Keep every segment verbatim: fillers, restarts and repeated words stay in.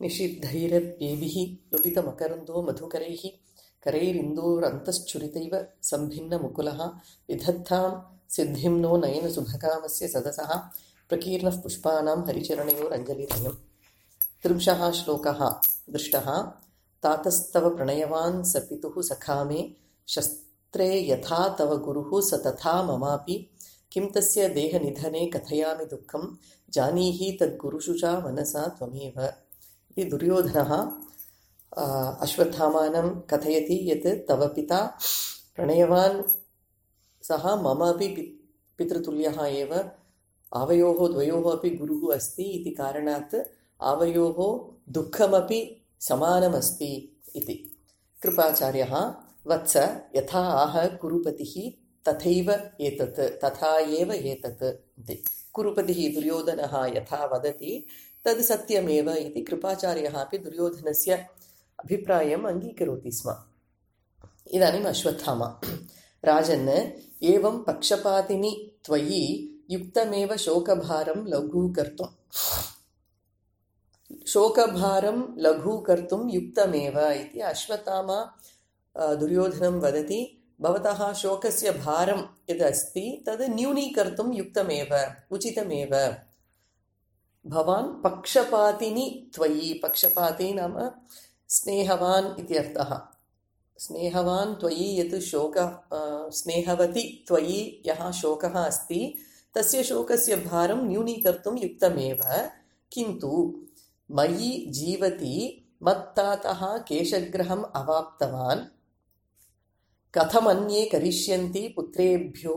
निषिद्धैरप्येभिः लुलितमकरन्दो मधुकरैः करैरिन्दोरन्तश्छुरितैव सम्भिन्नमुकुलः विधत्तां सिद्धिं नो नयनसुभकामस्य सदसः प्रकीर्णः पुष्पाणां हरिचरणयोरञ्जलिरयम्। त्रिंशः श्लोकः दृष्टः। तातस्तव प्रणयवान् स पितुः सखा मे शस्त्रे यथा तव गुरुः स तथा ममापि किं तस्य देहनिधने कथयामि दुःखं जानीहि तद्गुरुषु च मनसा त्वमेव। इति दुर्योधनः अश्वत्थामानं कथयति यत् तव पिता प्रणयवान् सः मम अपि पितृतुल्यः एव, आवयोः द्वयोः अपि गुरुः अस्ति इति कारणात् आवयोः दुःखमपि समानमस्ति इति। कृपाचार्यः वत्स यथा आह कुरुपतिः तथैव एतत् तथा एव एतत् इति। कुरुपतिः दुर्योधनः यथा वदति तद् सत्यमेव इति कृपाचार्यः अपि दुर्योधनस्य अभिप्रायम् अङ्गीकरोति स्म। इदानीम् अश्वत्थामा राजन् एवं पक्षपातिनि त्वयि युक्तमेव शोकभारं लघूकर्तुं शोकभारं लघूकर्तुं युक्तमेव इति अश्वत्थामा दुर्योधनं वदति। भवतः शोकस्य भारं यदस्ति तद् न्यूनीकर्तुं युक्तमेव, उचितमेव। भवान् पक्षपातिनि त्वयि, पक्षपाती नाम स्नेहवान् इत्यर्थः। स्नेहवान् त्वयि यत् शोकः, स्नेहवति त्वयि यः शोकः अस्ति तस्य शोकस्य भारं न्यूनीकर्तुं युक्तमेव। किन्तु मयि जीवति मत्तातः केशग्रहम् अवाप्तवान् कथमन्ये करिष्यन्ति पुत्रेभ्यो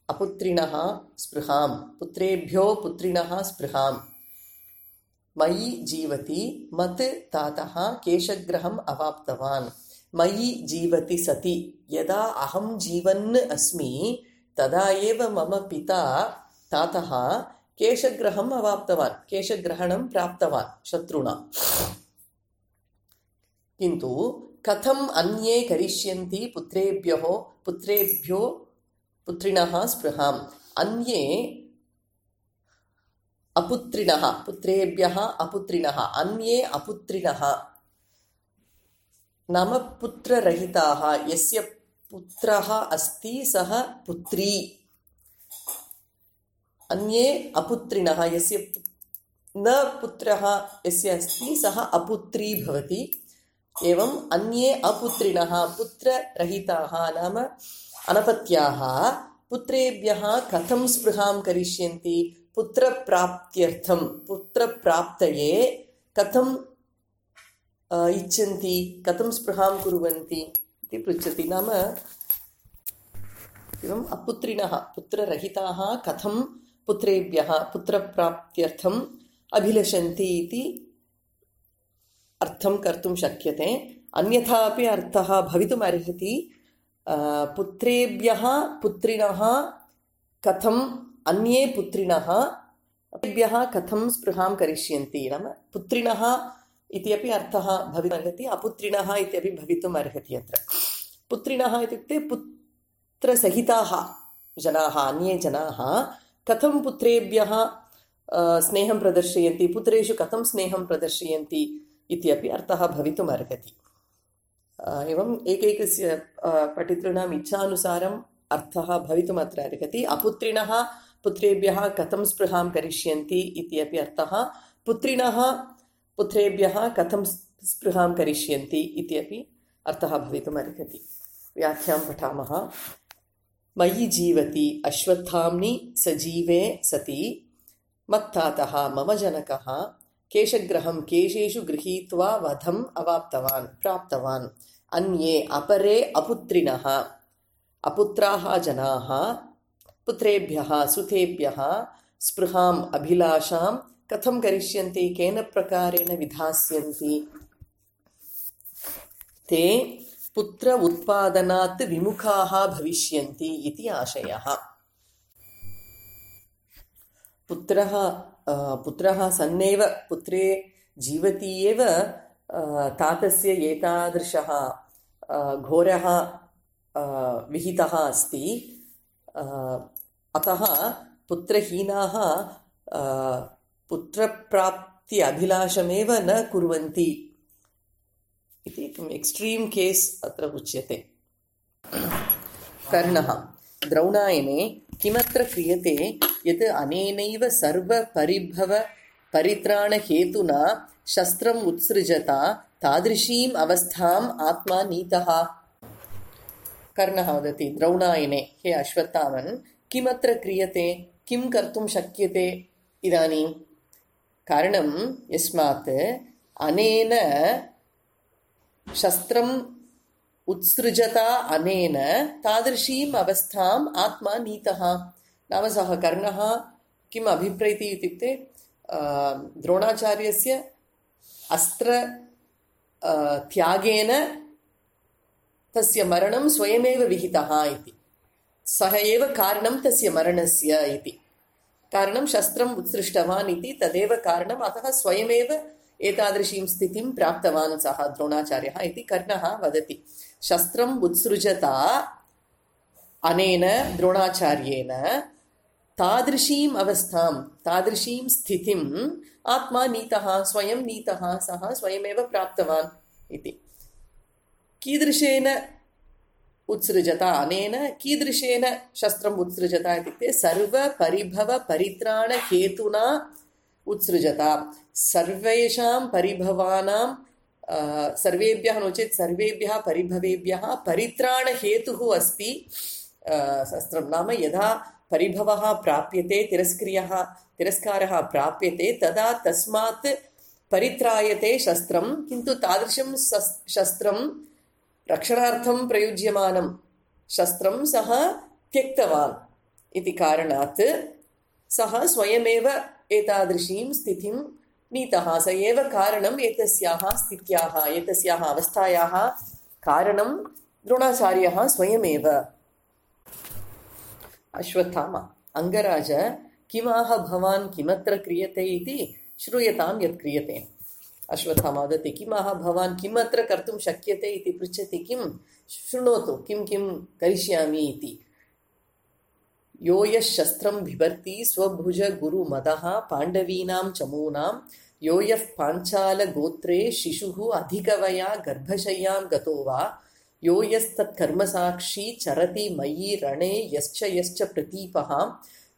अपुत्रिणः स्पृहां पुत्रेभ्यो पुत्रिणः स्पृहां। मयि जीवति मत् तातः केशग्रहम् अवाप्तवान्। मयि जीवति सति यदा अहं जीवन् अस्मि तदा एव मम पिता तातः केशग्रहम् अवाप्तवान्, केशग्रहणं प्राप्तवान् शत्रुणा। किन्तु कथम् अन्ये करिष्यन्ति पुत्रेभ्यः पुत्रेभ्यो पुत्रिणः स्पृहाम्। अन्ये अपुत्रिणः, पुत्रेभ्यः अपुत्रिणः, अन्ये अपुत्रिणः नाम पुत्ररहिताः। यस्य पुत्रः अस्ति सः पुत्री, अन्ये अपुत्रिणः यस्य न पुत्रः यस्य अस्ति सः अपुत्री भवति। एवं अन्ये अपुत्रिणः पुत्ररहिताः नाम अनपत्याः पुत्रेभ्यः कथं स्पृहां करिष्यन्ति, पुत्रप्राप्त्यर्थं पुत्रप्राप्तये कथं इच्छन्ति, कथं स्पृहां कुर्वन्ति इति पृच्छति। नाम एवम् अपुत्रिणः पुत्ररहिताः कथं पुत्रेभ्यः पुत्रप्राप्त्यर्थम् अभिलषन्ति इति अर्थं कर्तुं शक्यते। अन्यथा अपि अर्थः भवितुम् अर्हति। पुत्रेभ्यः पुत्रिणः कथम् अन्ये पुत्रिणः तेभ्यः कथं स्पृहां करिष्यन्ति नाम पुत्रिणः इति अपि अर्थः भवितुम् अर्हति, अपुत्रिणः इत्यपि भवितुम् अर्हति। अत्र पुत्रिणः इत्युक्ते पुत्रसहिताः जनाः, अन्ये जनाः कथं पुत्रेभ्यः स्नेहं प्रदर्शयन्ति, पुत्रेषु कथं स्नेहं प्रदर्शयन्ति इत्यपि अर्थः भवितुम् अर्हति। एवम् एकैकस्य पठितॄणाम् इच्छानुसारम् अर्थः भवितुम् अत्र अर्हति। अपुत्रिणः पुत्रेभ्यः कथं स्पृहां करिष्यन्ति इत्यपि अर्थः, पुत्रिणः पुत्रेभ्यः कथं स्पृहां करिष्यन्ति इत्यपि अर्थः भवितुम् अर्हति। व्याख्यां पठामः। मयि जीवति अश्वत्थाम्नि सजीवे सति मत्तातः मम जनकः केशग्रहं केशेषु गृहीत्वा वधम् अवाप्तवान् प्राप्तवान्। अन्ये अपरे अपुत्रिणः अपुत्राः जनाः पुत्रेभ्यः सुतेभ्यः स्पृहाम् अभिलाषां कथं करिष्यन्ति, केन प्रकारेण विधास्यन्ति। ते पुत्र उत्पादनात् विमुखाः भविष्यन्ति इति आशयः। पुत्रः पुत्रः सन्नेव पुत्रे जीवति एव तातस्य एतादृशः घोरः विहितः अस्ति। अतः पुत्रहीनाः पुत्रप्राप् प्राप्ति अभिलाषमेव न कुर्वन्ति इति एक्स्ट्रीम् केस् अत्र उच्यते। कर्णः द्रौणायने किमत्र क्रियते यत् अनेनैव सर्वपरिभव परित्राणहेतुना शस्त्रम् उत्सृजता तादृशीम् अवस्थाम् आत्मा नीतः। कर्णः वदति द्रौणायने, हे अश्वत्थामन्, किमत्र क्रियते, किं कर्तुं शक्यते इदानीं? कारणं यस्मात् अनेन शस्त्रम् उत्सृजता अनेन तादृशीम् अवस्थाम् आत्मा नीतः। नाम सः कर्णः किम् अभिप्रैति इत्युक्ते द्रोणाचार्यस्य अस्त्र त्यागेन तस्य मरणं स्वयमेव विहितः इति। सः एव कारणं तस्य मरणस्य इति। कारणं शस्त्रम् उत्सृष्टवान् इति तदेव कारणम्, अतः स्वयमेव एतादृशीं स्थितिं प्राप्तवान् सः द्रोणाचार्यः इति कर्णः वदति। शस्त्रम् उत्सृजता अनेन द्रोणाचार्येण तादृशीम् अवस्थां, तादृशीं स्थितिम् आत्मा नीतः, स्वयं नीतः, सः स्वयमेव प्राप्तवान् इति। कीदृशेन उत्सृजता अनेन, कीदृशेन शस्त्रम् उत्सृजता इत्युक्ते सर्वपरिभवपरित्राणहेतुना उत्सृजता। सर्वेषां परिभवानां सर्वेभ्यः नो चेत् सर्वेभ्यः परिभवेभ्यः परित्राणहेतुः अस्ति शस्त्रं। नाम यदा परिभवः प्राप्यते, तिरस्क्रियः तिरस्कारः प्राप्यते, तदा तस्मात् परित्रायते शस्त्रं। किन्तु तादृशं शस्त्रं रक्षणार्थं प्रयुज्यमानं शस्त्रं सः त्यक्तवान् इति कारणात् सः स्वयमेव एतादृशीं स्थितिं नीतः। स एव कारणम् एतस्याः स्थित्याः, एतस्याः अवस्थायाः कारणं द्रोणाचार्यः स्वयमेव। अश्वत्थामा, अङ्गराज, किमाह भवान् किमत्र क्रियते इति श्रूयतां यत् क्रियते। अश्वत्थामा वदति, किमाह भवान् किमत्र कर्तुं शक्यते इति पृच्छति किं? शृणोतु किं किं करिष्यामि इति। यो यः शस्त्रं बिभर्ति स्वभुज गुरुमदः पाण्डवीनां चमूनां, यो यः पाञ्चालगोत्रे शिशुः अधिकवया गर्भशय्यां गतो वा, यो यस्तत्कर्मसाक्षी चरति मयि रणे यश्च यश्च प्रतीपः,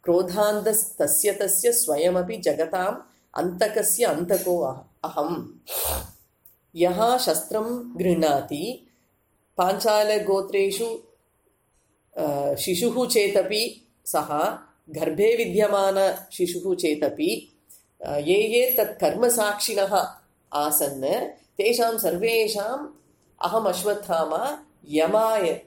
क्रोधान्धस्तस्य तस्य स्वयमपि जगताम् अन्तकस्य अन्तको अहम्। यः शस्त्रं गृह्णाति, पाञ्चालगोत्रेषु शिशुः चेतपि सः, गर्भे विद्यमान शिशुः चेतपि, ये ये तत्कर्मसाक्षिणः आसन् तेषां सर्वेषाम् अहम् अश्वत्थामा यमाय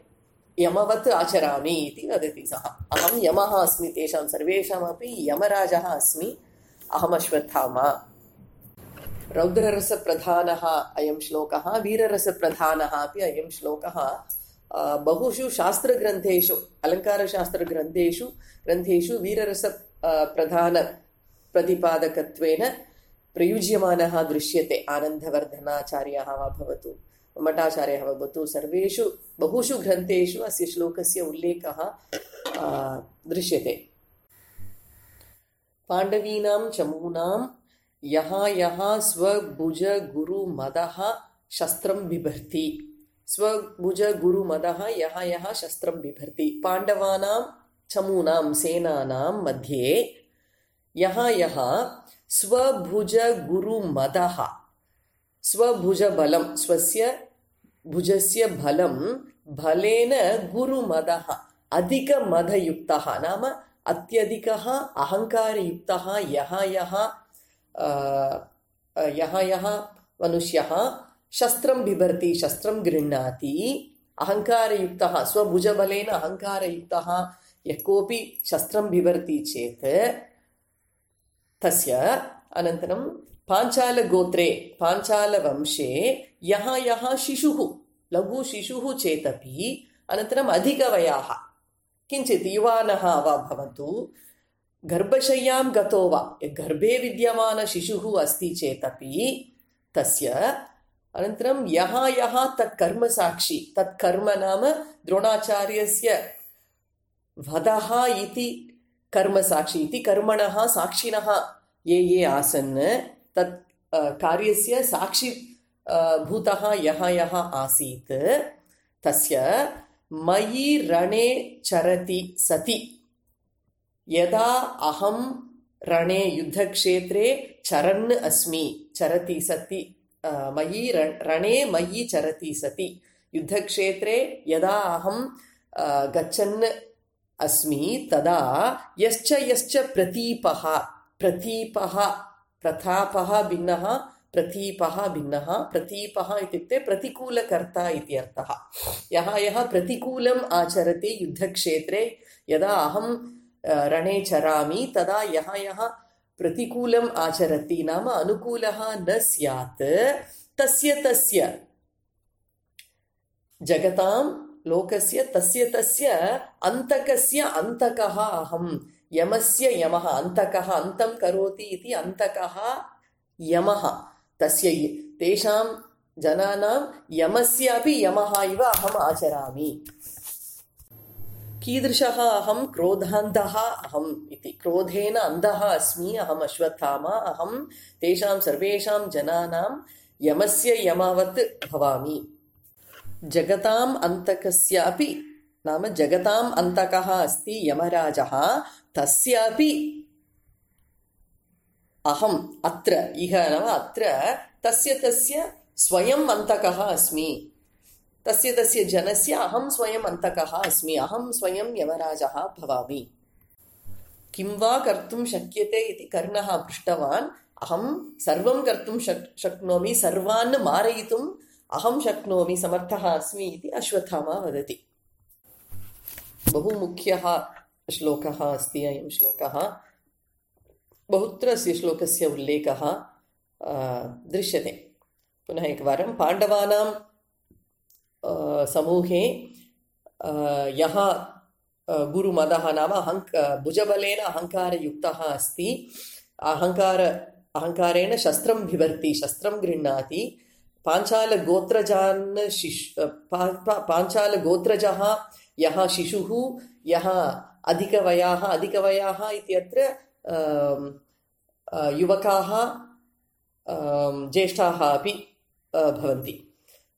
यमवत् आचरामि इति वदति सः। अहं यमः अस्मि, तेषां सर्वेषामपि यमराजः अस्मि अहम् अश्वत्थामा। रौद्ररसप्रधानः अयं श्लोकः, वीररसप्रधानः अपि अयं श्लोकः। बहुषु शास्त्रग्रन्थेषु, अलङ्कारशास्त्रग्रन्थेषु ग्रन्थेषु वीररस प्रधान प्रतिपादकत्वेन प्रयुज्यमानः दृश्यते। आनन्दवर्धनाचार्यः वा भवतु, मठाचार्यः वा भवतु, सर्वेषु बहुषु ग्रन्थेषु अस्य श्लोकस्य उल्लेखः दृश्यते। पाण्डवीनां चमूनां यः यः स्वभुज गुरुमदः शस्त्रं बिभर्ति। स्वभुज गुरुमदः यः यः शस्त्रं बिभर्ति। पाण्डवानां चमूनां सेनानां मध्ये यः यः स्वभुज गुरुमदः, स्वभुजबलं, स्वस्य भुजस्य बलं, बलेन गुरुमदः, अधिकमदयुक्तः नाम अत्यधिकः अहङ्कारयुक्तः यः यः यः यः मनुष्यः शस्त्रं बिभर्ति, शस्त्रं गृह्णाति, अहङ्कारयुक्तः, स्वभुजबलेन अहङ्कारयुक्तः यः कोऽपि शस्त्रं बिभर्ति चेत् तस्य, अनन्तरं पाञ्चालगोत्रे, पाञ्चालवंशे यः यः शिशुः, लघुशिशुः चेदपि, अनन्तरम् अधिकवयाः, किञ्चित् युवानः वा भवन्तु, गर्भशय्यां गतो वा, गर्भे विद्यमान शिशुः अस्ति चेदपि तस्य, अनन्तरं यः यः तत्कर्मसाक्षी, तत्कर्म नाम द्रोणाचार्यस्य वधः इति कर्मसाक्षी इति कर्मणः साक्षिणः ये ये आसन् तत् कार्यस्य साक्षी भूतः यः यः आसीत् तस्य मयि रणे चरति सति यदा अहं रणे युद्धक्षेत्रे चरन् अस्मि चरति सति मयि रणे मयि चरति सति युद्धक्षेत्रे यदा अहं गच्छन् अस्मि तदा यश्च यश्च प्रतीपः प्रतीपः प्रतापः भिन्नः प्रतीपः भिन्नः प्रतीपः इत्युक्ते प्रतिकूलकर्ता इति अर्थः यः यः प्रतिकूलम् आचरति युद्धक्षेत्रे यदा अहं रणे चरामि तदा यः यः प्रतिकूलम् आचरति नाम अनुकूलः न स्यात् तस्य तस्य जगतां लोकस्य तस्य तस्य अन्तकस्य अन्तकः अहं यमस्य यमः अन्तकः अन्तं करोति इति अन्तकः यमः तस्य तेषां जनानां यमस्यापि यमः इव अहम् आचरामि कीदृशः अहं क्रोधान्धः अहम् इति क्रोधेन अन्धः अस्मि अहम् अश्वत्थामा अहं तेषां सर्वेषां जनानां यमस्य यमवत् भवामि जगताम् अन्तकस्यापि नाम जगताम् अन्तकः अस्ति यमराजः तस्यापि अहम् अत्र इह नाम अत्र तस्य तस्य स्वयम् अन्तकः अस्मि तस्य तस्य जनस्य अहं स्वयम् अन्तकः अस्मि अहं स्वयं यमराजः भवामि किं वा कर्तुं शक्यते इति कर्णः पृष्टवान् अहं सर्वं कर्तुं शक् शक्नोमि सर्वान् मारयितुम् अहं शक्नोमि समर्थः अस्मि इति अश्वत्थामा वदति बहु मुख्यः श्लोकः अस्ति अयं श्लोकः बहुत्र अस्य श्लोकस्य उल्लेखः दृश्यते पुनः एकवारं पाण्डवानां समूहे यः गुरुमदः नाम अहङ्क भुजबलेन अहङ्कारयुक्तः अस्ति अहङ्कार अहङ्कारेण शस्त्रं बिभर्ति शस्त्रं गृह्णाति पाञ्चालगोत्रजान् शिश् पाञ्चालगोत्रजः यः शिशुः यः अधिकवयाः अधिकवयाः इत्यत्र युवकाः ज्येष्ठाः अपि भवन्ति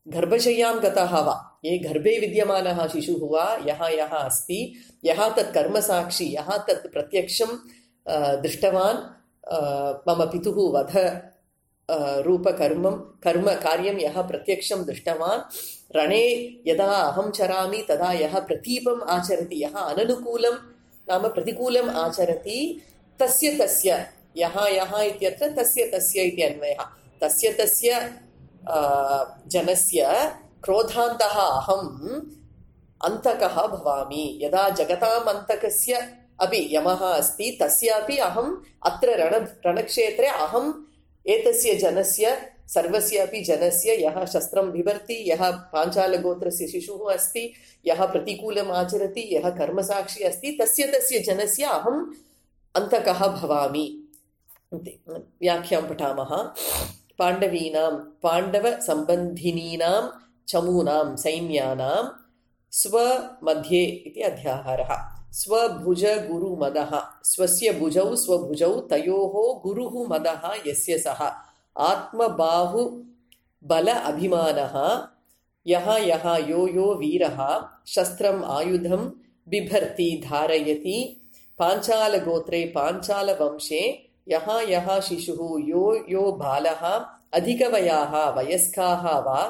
गर्भशय्यां गतः वा ये गर्भे विद्यमानः शिशुः वा यः यः अस्ति यः तत् कर्मसाक्षी यः तत् प्रत्यक्षं दृष्टवान् मम पितुः वध रूपकर्मं कर्म कार्यं यः प्रत्यक्षं दृष्टवान् रणे यदा अहं चरामि तदा यः प्रतीपम् आचरति यः अननुकूलं नाम प्रतिकूलम् आचरति तस्य तस्य यः यः इत्यत्र तस्य तस्य इति अन्वयः तस्य तस्य जनस्य क्रोधान्तः अहम् अन्तकः भवामि यदा जगताम् अन्तकस्य अपि यमः अस्ति तस्यापि अहम् अत्र रण रणक्षेत्रे अहम् एतस्य जनस्य सर्वस्य अपि जनस्य यः शस्त्रं बिभर्ति यः पाञ्चालगोत्रस्य शिशुः अस्ति यः प्रतिकूलम् आचरति यः कर्मसाक्षी अस्ति तस्य तस्य जनस्य अहम् अन्तकः भवामि व्याख्यां पठामः पाण्डवीनां पाण्डवसम्बन्धिनीनां चमूनां सैन्यानां स्वमध्ये इति अध्याहारः स्वभुजगुरुमदः स्वस्य भुजौ स्वभुजौ तयोः गुरुः मदः यस्य सः आत्मबाहुबल अभिमानः यः यः यो यो वीरः शस्त्रम् आयुधं बिभर्ति धारयति पाञ्चालगोत्रे पाञ्चालवंशे यः यः शिशुः यो यो बालः अधिकवयाः वयस्काः वा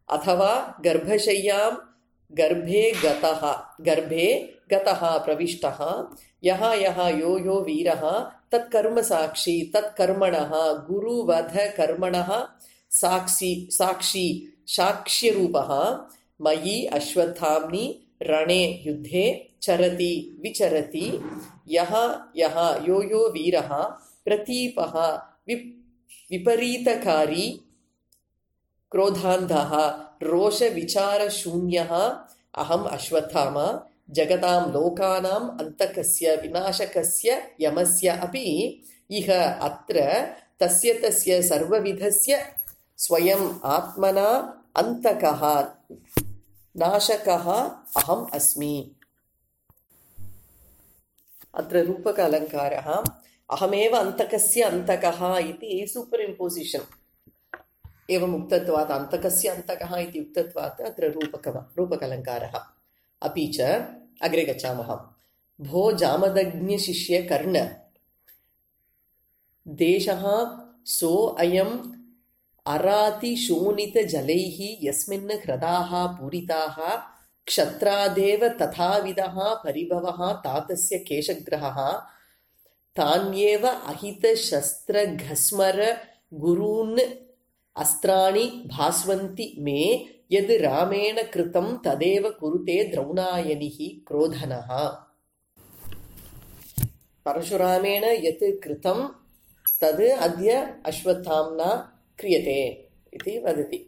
अथवा गर्भशय्यां गर्भे गतः गर्भे गतः प्रविष्टः यः यः यो यो वीरः तत्कर्मसाक्षी तत्कर्मणः गुरुवधकर्मणः साक्षी साक्षी साक्ष्यरूपः मयि अश्वत्थाम्नि रणे युद्धे चरति विचरति यः यः यो यो वीरः प्रतीपः विप् विपरीतकारी क्रोधान्धः रोषविचारशून्यः अहम् अश्वत्थामा जगतां लोकानाम् अन्तकस्य विनाशकस्य यमस्य अपि इह अत्र तस्य तस्य सर्वविधस्य स्वयम् आत्मना अन्तकः नाशकः अहम् अस्मि अत्र रूपक अलङ्कारः अहमेव अन्तकस्य अन्तकः इति सूपर् इम्पोसिशन् एवम् उक्तत्वात् अन्तकस्य अन्तकः इति उक्तत्वात् अत्र रूपकः रूपकलङ्कारः। अपि च अग्रे गच्छामः। भो जामदग्न्यशिष्य कर्ण देशः सो अयम् अराति शोणितजलैः यस्मिन् हृदाः पूरिताः क्षत्रादेव तथाविधः परिभवः तातस्य केशग्रहः तान्येव अहितशस्त्रघस्मर गुरून् अस्त्राणि भास्वन्ति मे यद् रामेण कृतं तदेव कुरुते द्रौणायनिः क्रोधनः। परशुरामेण यत् कृतं तद् अद्य अश्वत्थाम्ना क्रियते इति वदति।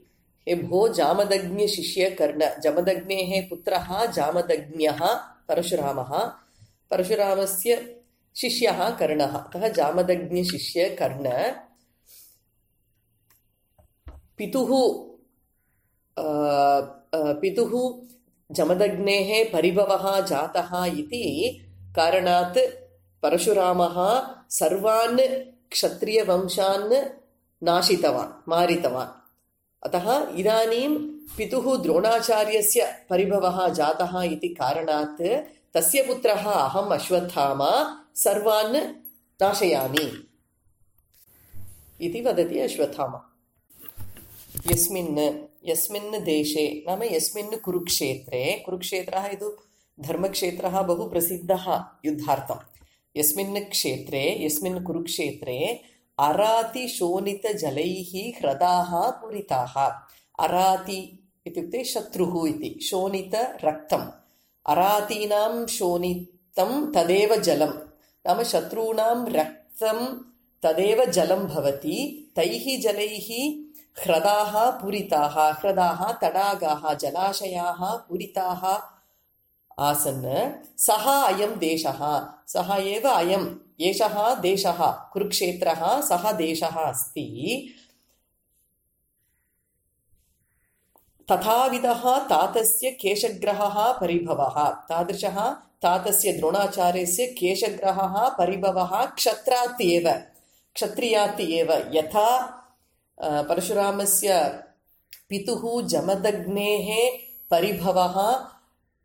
हे भो जामदग्न्यशिष्य कर्ण, जमदग्नेः पुत्रः जामदग्न्यः परशुरामः, परशुरामस्य शिष्यः कर्णः। अतः जामदग्न्यशिष्य कर्ण पितुः पितुः जमदग्नेः परिभवः जातः इति कारणात् परशुरामः सर्वान् क्षत्रियवंशान् नाशितवान्, मारितवान्। अतः इदानीं पितुः द्रोणाचार्यस्य परिभवः जातः इति कारणात् तस्य पुत्रः अहम् अश्वत्थामा सर्वान् नाशयामि इति वदति अश्वत्थामा। यस्मिन् यस्मिन् देशे नाम यस्मिन् कुरुक्षेत्रे, कुरुक्षेत्रः इति धर्मक्षेत्रः बहु प्रसिद्धः युद्धार्थं। यस्मिन् क्षेत्रे यस्मिन् कुरुक्षेत्रे अराति शोणितजलैः ह्रदाः पूरिताः। अराति इत्युक्ते शत्रुः इति, शोणितरक्तम्। अरातीनां शोणितं तदेव जलं, नाम शत्रूणां रक्तं तदेव जलं भवति। तैः जलैः ह्रदाः पूरिताः, ह्रदाः तडागाः जलाशयाः पूरिताः आसन्। सः अयं देशः, सः एव अयम् एषः देशः कुरुक्षेत्रः, सः देशः अस्ति। तथाविधः तातस्य केशग्रहः परिभवः, तादृशः तातस्य द्रोणाचार्यस्य केशग्रहः परिभवः क्षत्रात् एव, क्षत्रियात् एव। यथा परशुरामस्य पितुः जमदग्नेः परिभवः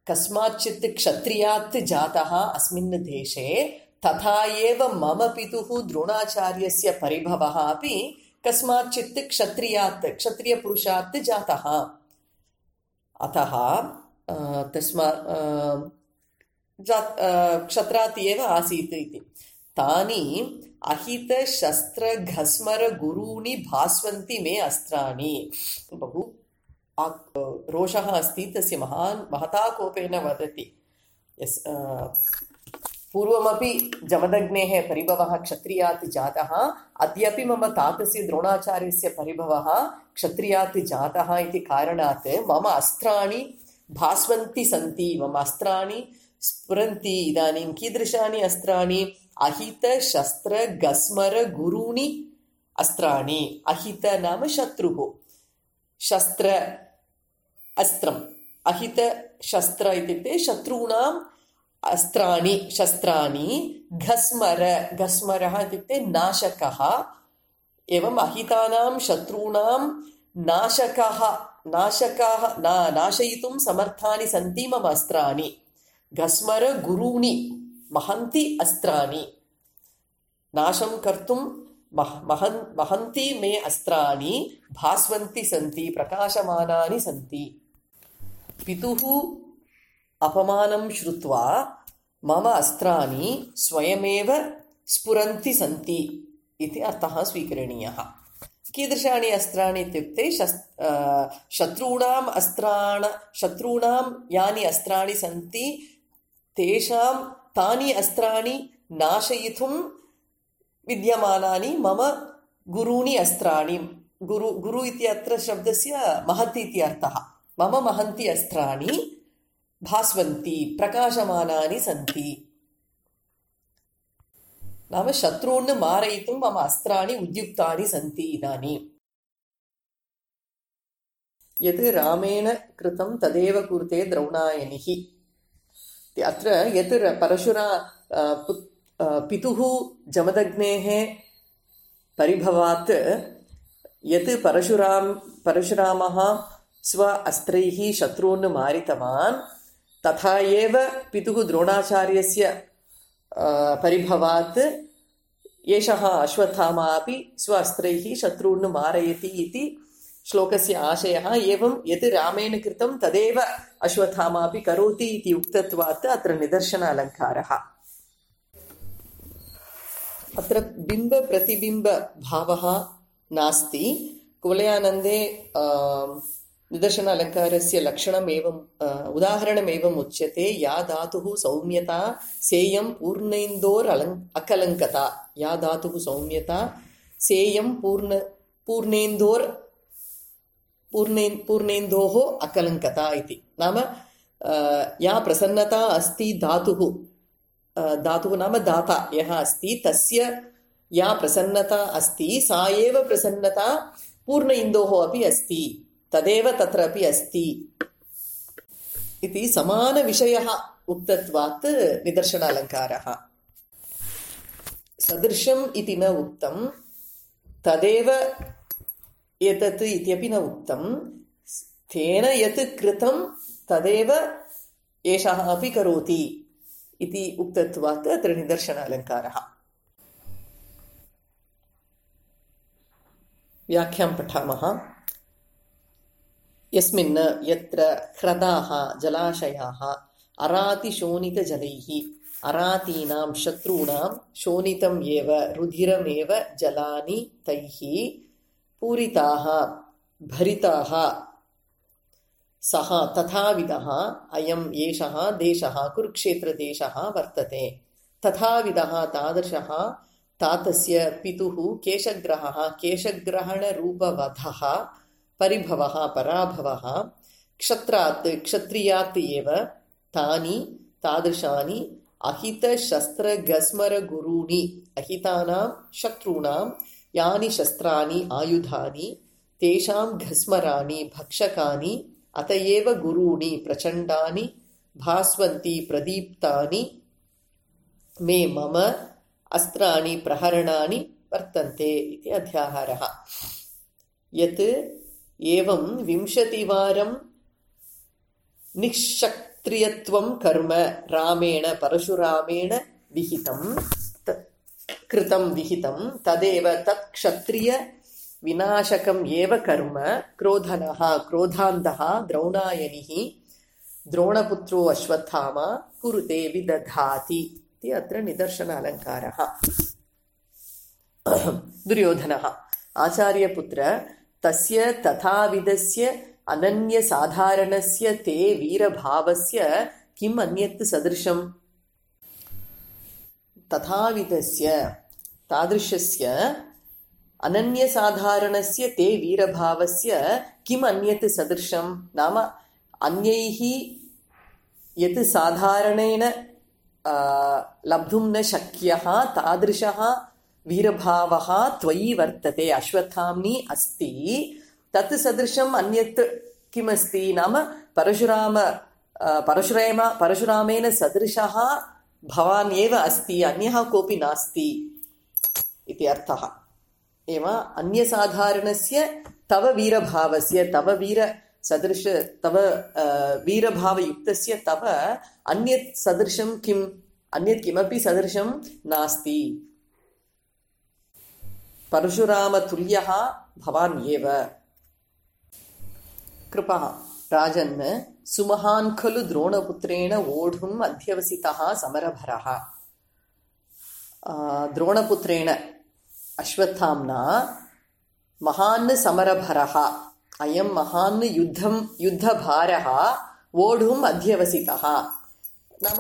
कस्माच्चित् क्षत्रियात् जातः अस्मिन् देशे, तथा एव मम पितुः द्रोणाचार्यस्य परिभवः अपि कस्माच्चित् क्षत्रियात्, क्षत्रियपुरुषात् जातः। अतः तस्मात् क्षत्रात् एव आसीत् इति। तानि अहितशस्त्रघस्मरगुरूणि भास्वन्ति मे अस्त्राणि। बहु रोषः अस्ति तस्य, महान् महता कोपेन वदति। यस् पूर्वमपि जमदग्नेः परिभवः क्षत्रियात् जातः, अद्यापि मम तातस्य द्रोणाचार्यस्य परिभवः क्षत्रियात् जातः इति कारणात् मम अस्त्राणि भास्वन्ति सन्ति, मम अस्त्राणि स्फुरन्ति। इदानीं कीदृशानि अस्त्राणि? अहितशस्त्रघस्मरगुरूणि अस्त्राणि। अहित नाम शत्रुः, शस्त्र अस्त्रम्, अहितशस्त्र इत्युक्ते शत्रूणाम् अस्त्राणि, शस्त्राणि। घस्मर, घस्मरः इत्युक्ते नाशकः। एवम् अहितानां शत्रूणां नाशकः, नाशकाः ना नाशयितुं समर्थानि सन्ति मम अस्त्राणि। घस्मर गुरूणि, महन्ति अस्त्राणि, नाशं कर्तुं मह महन् महन्ति मे अस्त्राणि भास्वन्ति सन्ति, प्रकाशमानानि सन्ति। पितुः अपमानं श्रुत्वा मम अस्त्राणि स्वयमेव स्फुरन्ति सन्ति इति अर्थः स्वीकरणीयः। कीदृशानि अस्त्राणि इत्युक्ते शस् शत्रूणाम् अस्त्राण शत्रूणां यानि अस्त्राणि सन्ति तेषां तानि अस्त्राणि नाशयितुं विद्यमानानि मम गुरूणि अस्त्राणि। गुरु गुरु इति अत्र शब्दस्य महत् इति अर्थः। मम महन्ति अस्त्राणि भास्वन्ति, प्रकाशमानानि सन्ति। नाम शत्रून् मारयितुं मम अस्त्राणि उद्युक्तानि सन्ति इदानीम्। यद् रामेण कृतं तदेव कुरुते द्रौणायनिः। अत्र यत् परशुरा पितुः जमदग्नेः परिभवात् यत् परशुराम परशुरामः स्व अस्त्रैः शत्रून् मारितवान् तथा एव पितुः द्रोणाचार्यस्य परिभवात् एषः अश्वत्थामा अपि स्व अस्त्रैः शत्रून् मारयति इति श्लोकस्य आशयः। एवं यत् रामेण कृतं तदेव अश्वत्थामा अपि करोति इति उक्तत्वात् अत्र निदर्शन अलङ्कारः। अत्र बिम्बप्रतिबिम्बभावः नास्ति। कुवलयानन्दे निदर्शन अलङ्कारस्य लक्षणम् एवं उदाहरणम् एवम् उच्यते। या धातुः सौम्यता सेयं पूर्णेन्दोर् अलङ् अकलङ्कता। या धातुः सौम्यता सेयं पूर्ण पूर्णेन्दोर् पूर्णे पूर्णेन्दोः अकलङ्कता इति। नाम या प्रसन्नता अस्ति धातुः धातुः नाम दाता यः अस्ति तस्य या प्रसन्नता अस्ति सा एव प्रसन्नता पूर्ण इन्दोः अपि अस्ति तदेव तत्रापि अस्ति इति समानविषयः उक्तत्वात् निदर्शनालङ्कारः। सदृशम् इति न उक्तं तदेव एतत् इत्यपि न उक्तं। तेन यत् कृतं तदेव एषः अपि करोति इति उक्तत्वात् अत्र निदर्शनालङ्कारः। व्याख्यां पठामः। यस्मिन् यत्र ह्रदाः जलाशयाः अरातिशोणितजलैः अरातीनां शत्रूणां शोणितम् एव रुधिरमेव जलानि तैः पूरिताः भरिताः सः तथाविधः अयम् एषः देशः कुरुक्षेत्रदेशः वर्तते। तथाविधः तादृशः तातस्य पितुः केशग्रहः केशग्रहणरूपवधः परिभवः पराभवः क्षत्रात् क्षत्रियात् एव तानि तादृशानि अहितशस्त्रगस्मरगुरूणि अहितानां शत्रूणां यानि शस्त्राणि आयुधानि तेषां घस्मराणि भक्षकानि अत एव गुरूणि प्रचण्डानि भास्वन्ति प्रदीप्तानि मे मम अस्त्राणि प्रहरणानि वर्तन्ते इति अध्याहारः। यत् एवं विंशतिवारं निःक्षत्रियत्वं कर्म रामेण परशुरामेण विहितं कृतं विहितं तदेव तत् क्षत्रिय विनाशकम् एव कर्म क्रोधनः क्रोधान्धः द्रौणायनिः द्रोणपुत्रो अश्वत्थामा कुरुते विदधाति इति अत्र निदर्शन अलङ्कारः। दुर्योधनः आचार्यपुत्र तस्य तथाविधस्य अनन्यसाधारणस्य ते वीरभावस्य किम् अन्यत् सदृशम्। तथाविधस्य तादृशस्य अनन्यसाधारणस्य ते वीरभावस्य किम् अन्यत् सदृशं। नाम अन्यैः यत् साधारणेन लब्धुं न शक्यः तादृशः वीरभावः त्वयि वर्तते अश्वत्थाम्नि अस्ति। तत् सदृशम् अन्यत् किमस्ति नाम परशुराम परशुराम परशुरामेण सदृशः भवान् एव अस्ति अन्यः कोऽपि नास्ति इति अर्थः। एव अन्यसाधारणस्य तव वीरभावस्य तव वीरसदृश तव वीरभावयुक्तस्य तव अन्यत् सदृशं किम् अन्यत् किमपि सदृशं नास्ति। परशुरामतुल्यः भवान् एव। कृपः राजन् सुमहान् खलु द्रोणपुत्रेण वोढुम् अध्यवसितः समरभरः। द्रोणपुत्रेण अश्वत्थाम्ना महान् समरभरः अयं महान् युद्धं युद्धभारः वोढुम् अध्यवसितः। नाम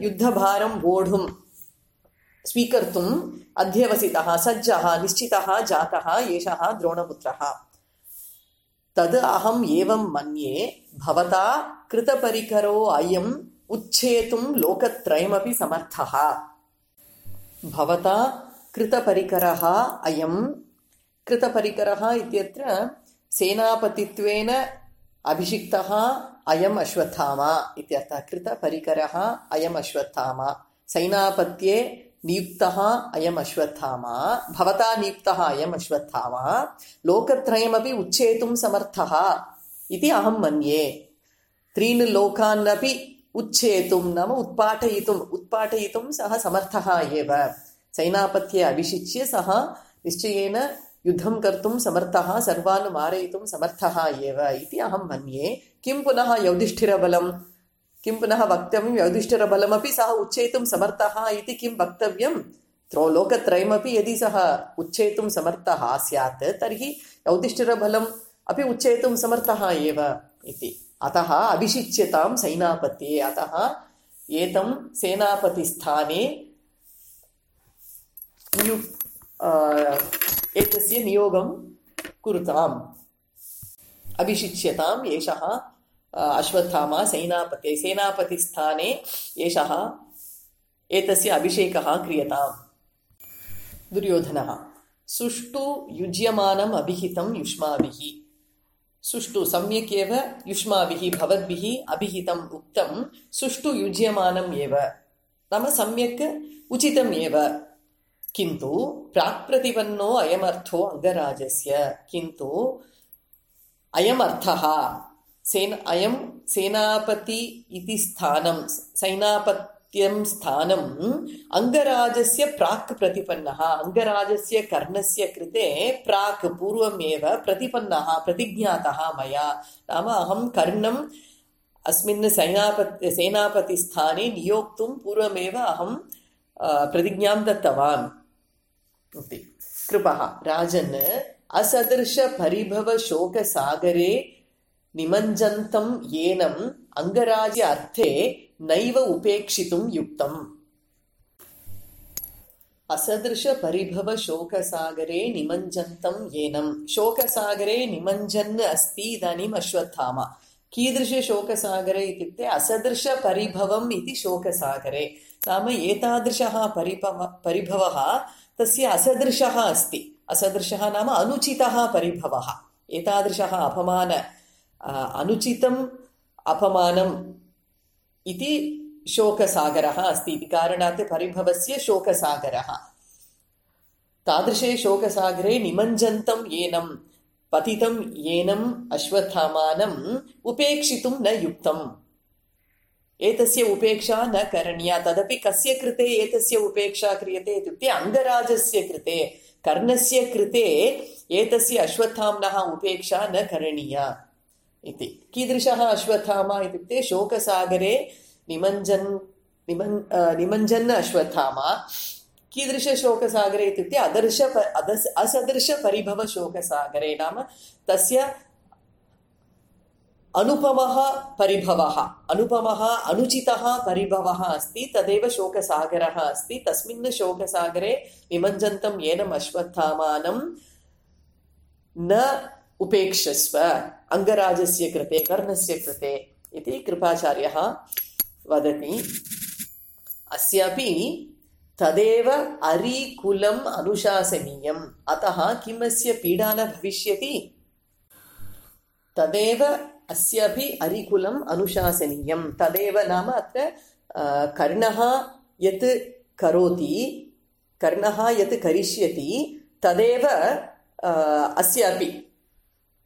युद्धभारं वोढुं स्वीकर्तुम् अध्यवसितः सज्जः निश्चितः जातः एषः द्रोणपुत्रः। तद् अहम् एवं मन्ये भवता कृतपरिकरो अयम् उच्छेतुं लोकत्रयमपि समर्थः। भवता कृतपरिकरः अयं कृतपरिकरः इत्यत्र सेनापतित्वेन अभिषिक्तः अयम् अश्वत्थामा इत्यर्थः। कृतपरिकरः अयम् अश्वत्थामा सैनापत्ये नियुक्तः अयम् अश्वत्थामा, भवता नियुक्तः अयम् अश्वत्थामा लोकत्रयमपि उच्छेतुं समर्थः इति अहं मन्ये। त्रीन् लोकानपि उच्छेतुं नाम उत्पाटयितुम् उत्पाटयितुं सः समर्थः एव। सैनापत्ये अभिषिच्य सः निश्चयेन युद्धं कर्तुं समर्थः, सर्वान् मारयितुं समर्थः एव इति अहं मन्ये। किं पुनः युधिष्ठिरबलं, किं पुनः वक्तव्यं? युधिष्ठिरबलमपि सः उच्चेतुं समर्थः इति किं वक्तव्यं? त्रो लोकत्रयमपि यदि सः उच्चेतुं समर्थः स्यात् तर्हि युधिष्ठिरबलम् अपि उच्चेतुं समर्थः एव इति। अतः अभिषिच्यतां सैनापत्ये, अतः एतं सेनापतिस्थाने एतस्य नियोगं कुरुताम्। अभिषिच्यताम् एषः अश्वत्थामा सेनापते, सेनापतिस्थाने एषः एतस्य अभिषेकः क्रियताम्। दुर्योधनः सुष्ठु युज्यमानम् अभिहितं युष्माभिः। सुष्ठु सम्यक् एव युष्माभिः भवद्भिः अभिहितम् उक्तं, सुष्ठु युज्यमानम् एव नाम सम्यक् उचितम् एव। किन्तु प्राक्प्रतिपन्नो अयमर्थो अङ्गराजस्य, किन्तु अयमर्थः सेन अयं सेनापति इति स्थानं, सैनापत्यं स्थानम् अङ्गराजस्य प्राक् प्रतिपन्नः, अङ्गराजस्य कर्णस्य कृते प्राक् पूर्वमेव प्रतिपन्नः प्रतिज्ञातः मया। नाम अहं कर्णम् अस्मिन् सैनापति सेनापतिस्थाने नियोक्तुं पूर्वमेव अहं प्रतिज्ञां दत्तवान् इति। कृपः राजन् असदृशपरिभवशोकसागरे निमज्जन्तं येनम् अङ्गराज्य अर्थे नैव उपेक्षितुं युक्तम्। असदृशपरिभवशोकसागरे निमज्जन्तं येनम्, शोकसागरे निमज्जन् अस्ति इदानीम् अश्वत्थामा। कीदृशशोकसागरे इत्युक्ते असदृशपरिभवम् इति शोकसागरे, नाम एतादृशः परिभव परिभवः तस्य असदृशः अस्ति। असदृशः नाम अनुचितः परिभवः, एतादृशः अपमान अनुचितम् अपमानम् इति शोकसागरः अस्ति इति कारणात् परिभवस्य शोकसागरः। तादृशे शोकसागरे निमज्जन्तं येनम् पतितं येनम् अश्वत्थामानम् उपेक्षितुं न युक्तम्। एतस्य उपेक्षा न करणीया। तदपि कस्य कृते एतस्य उपेक्षा क्रियते इत्युक्ते अङ्गराजस्य कृते, कर्णस्य कृते एतस्य अश्वत्थाम्नः उपेक्षा न करणीया इति। कीदृशः अश्वत्थामा इत्युक्ते शोकसागरे निमज्जन् निमन् निमज्जन् अश्वत्थामा। कीदृशशोकसागरे इत्युक्ते अदर्श अदस् असदृशपरिभवशोकसागरे, नाम तस्य अनुपमः परिभवः, अनुपमः अनुचितः परिभवः अस्ति, तदेव शोकसागरः अस्ति। तस्मिन् शोकसागरे निमज्जन्तं येनम् अश्वत्थामानं न उपेक्षस्व अङ्गराजस्य कृते, कर्णस्य कृते इति कृपाचार्यः वदति। अस्यापि तदेव अरिकुलम् अनुशासनीयम्, अतः किमस्य पीडा न भविष्यति। तदेव अस्यापि अरिकुलम् अनुशासनीयम्। तदेव नाम अत्र कर्णः यत् करोति, कर्णः यत् करिष्यति तदेव अस्यापि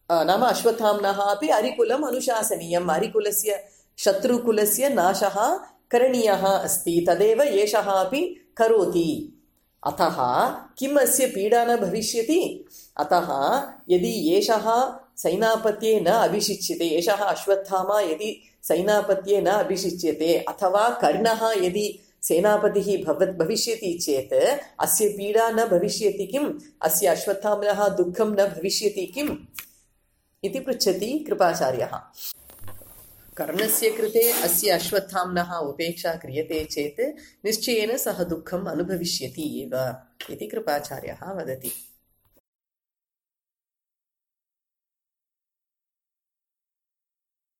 नाम अश्वत्थाम्नः अपि अरिकुलम् अनुशासनीयम्। अरिकुलस्य शत्रुकुलस्य नाशः करणीयः अस्ति, तदेव एषः अपि करोति। अतः किम् अस्य पीडा न भविष्यति। अतः यदि एषः सैनापत्ये न अभिषिच्यते, एषः अश्वत्थामा यदि सैनापत्ये न अभिषिच्यते, अथवा कर्णः यदि सेनापतिः भवत् भविष्यति चेत् अस्य पीडा न भविष्यति किम्, अस्य अश्वत्थाम्नः दुःखं न भविष्यति किम् इति पृच्छति कृपाचार्यः। कर्णस्य कृते अस्य अश्वत्थाम्नः उपेक्षा क्रियते चेत् निश्चयेन सः दुःखम् अनुभविष्यति एव इति कृपाचार्यः वदति।